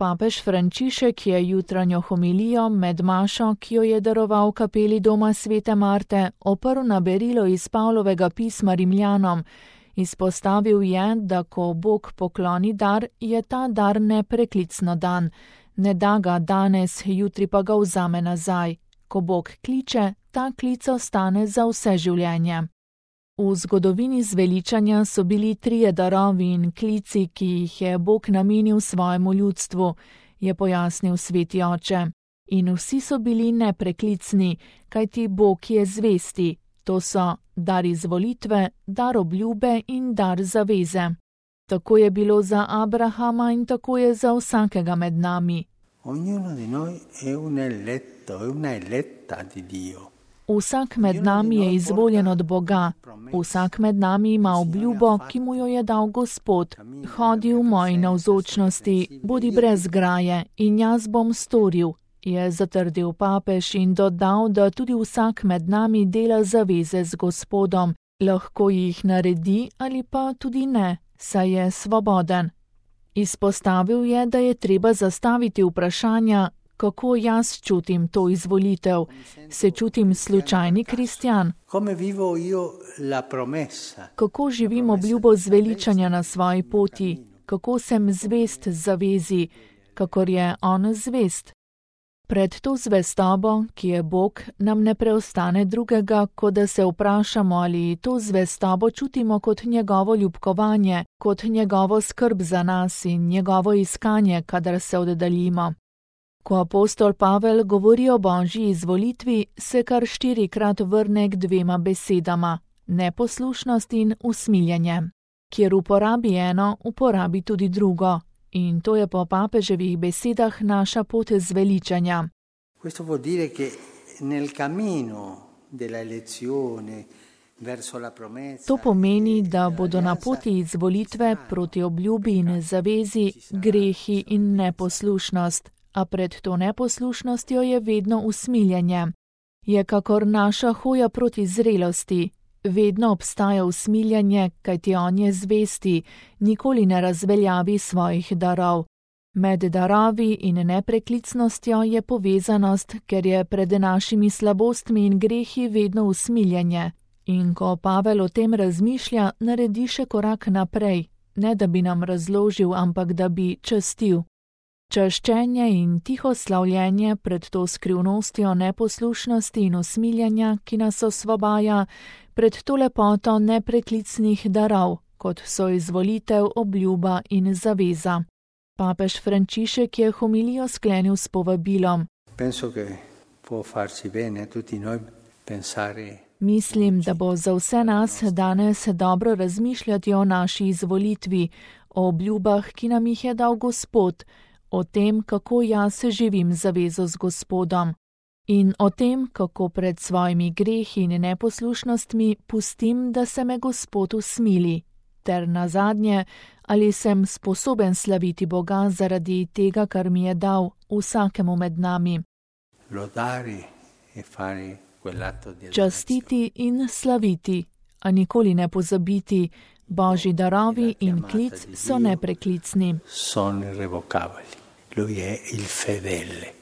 Papež Frančišek je jutranjo homilijo med mašo, ki jo je daroval v kapeli doma svete Marte, oprl na berilo iz Pavlovega pisma Rimljanom. Izpostavil je, da ko Bog pokloni dar, je ta dar nepreklicno dan. Ne da ga danes, jutri pa ga vzame nazaj. Ko Bog kliče, ta klic ostane za vse življenje. V zgodovini zveličanja so bili 3 darovi in klici, ki jih je Bog namenil svojemu ljudstvu, je pojasnil sveti oče. In vsi so bili nepreklicni, kajti Bog je zvesti. To so dar izvolitve, dar obljube in dar zaveze. Tako je bilo za Abrahama in tako je za vsakega med nami. Vsak med nami je izvoljen od Boga. Vsak med nami ima obljubo, ki mu jo je dal Gospod. Hodi v moji navzočnosti, bodi brez graje in jaz bom storil, je zatrdil papež in dodal, da tudi vsak med nami dela zaveze z Gospodom. Lahko jih naredi ali pa tudi ne, saj je svoboden. Izpostavil je, da je treba zastaviti vprašanja, kako jaz čutim to izvolitev. Se čutim slučajni kristjan? Kako živim obljubo zveličanja na svoji poti? Kako sem zvest zavezi, kakor je on zvest? Pred to zvestobo, ki je Bog, nam ne preostane drugega, kot da se vprašamo, ali to zvestobo čutimo kot njegovo ljubkovanje, kot njegovo skrb za nas in njegovo iskanje, kadar se oddaljimo. Ko apostol Pavel govori o Božji izvolitvi, se kar 4-krat vrne k 2 besedama: neposlušnost in usmiljenje. Kjer uporabi eno, uporabi tudi drugo. In to je po papeževih besedah naša pot zveličanja. To pomeni, da bodo na poti izvolitve proti obljubi in zavezi grehi in neposlušnost, a pred to neposlušnostjo je vedno usmiljenje. Je kakor naša hoja proti zrelosti. Vedno obstaja usmiljenje, kajti on je zvesti, nikoli ne razveljavi svojih darov. Med darovi in nepreklicnostjo je povezanost, ker je pred našimi slabostmi in grehi vedno usmiljenje. In ko Pavel o tem razmišlja, naredi še korak naprej, ne da bi nam razložil, ampak da bi častil. Čaščenje in tiho slavljenje pred to skrivnostjo neposlušnosti in usmiljenja, ki nas osvobaja, pred to lepoto nepreklicnih darov, kot so izvolitev, obljuba in zaveza. Papež Frančišek je homilijo sklenil s povabilom. Mislim, da bo za vse nas danes dobro razmišljati o naši izvolitvi, o obljubah, ki nam jih je dal Gospod, o tem, kako jaz živim zavezo z Gospodom in o tem, kako pred svojimi grehi in neposlušnostmi pustim, da se me Gospod usmili, ter nazadnje, ali sem sposoben slaviti Boga zaradi tega, kar mi je dal vsakemu med nami. Častiti in slaviti, a nikoli ne pozabiti, Božji darovi in klic so nepreklicni. Lui è il fedele.